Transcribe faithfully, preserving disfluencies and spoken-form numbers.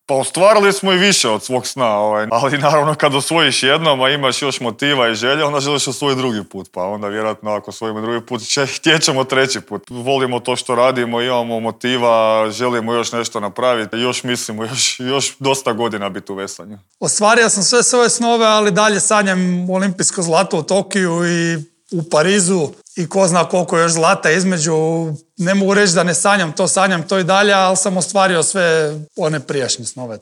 Pa ostvarili smo i više od svog sna, ovaj. Ali naravno kad osvojiš jednom, a imaš još motiva i želje, onda želiš osvojiti drugi put. Pa onda vjerojatno ako osvojimo drugi put, htjećemo treći put. Volimo to što radimo, imamo motiva, želimo još nešto napraviti. Još mislimo, još, još dosta godina biti u veslanju. Ostvario sam sve svoje snove, ali dalje sanjam olimpijsko zlato u Tokiju i u Parizu i ko zna koliko još zlata između. Ne mogu reći da ne sanjam to, sanjam to i dalje, ali sam ostvario sve one prijašnje snove.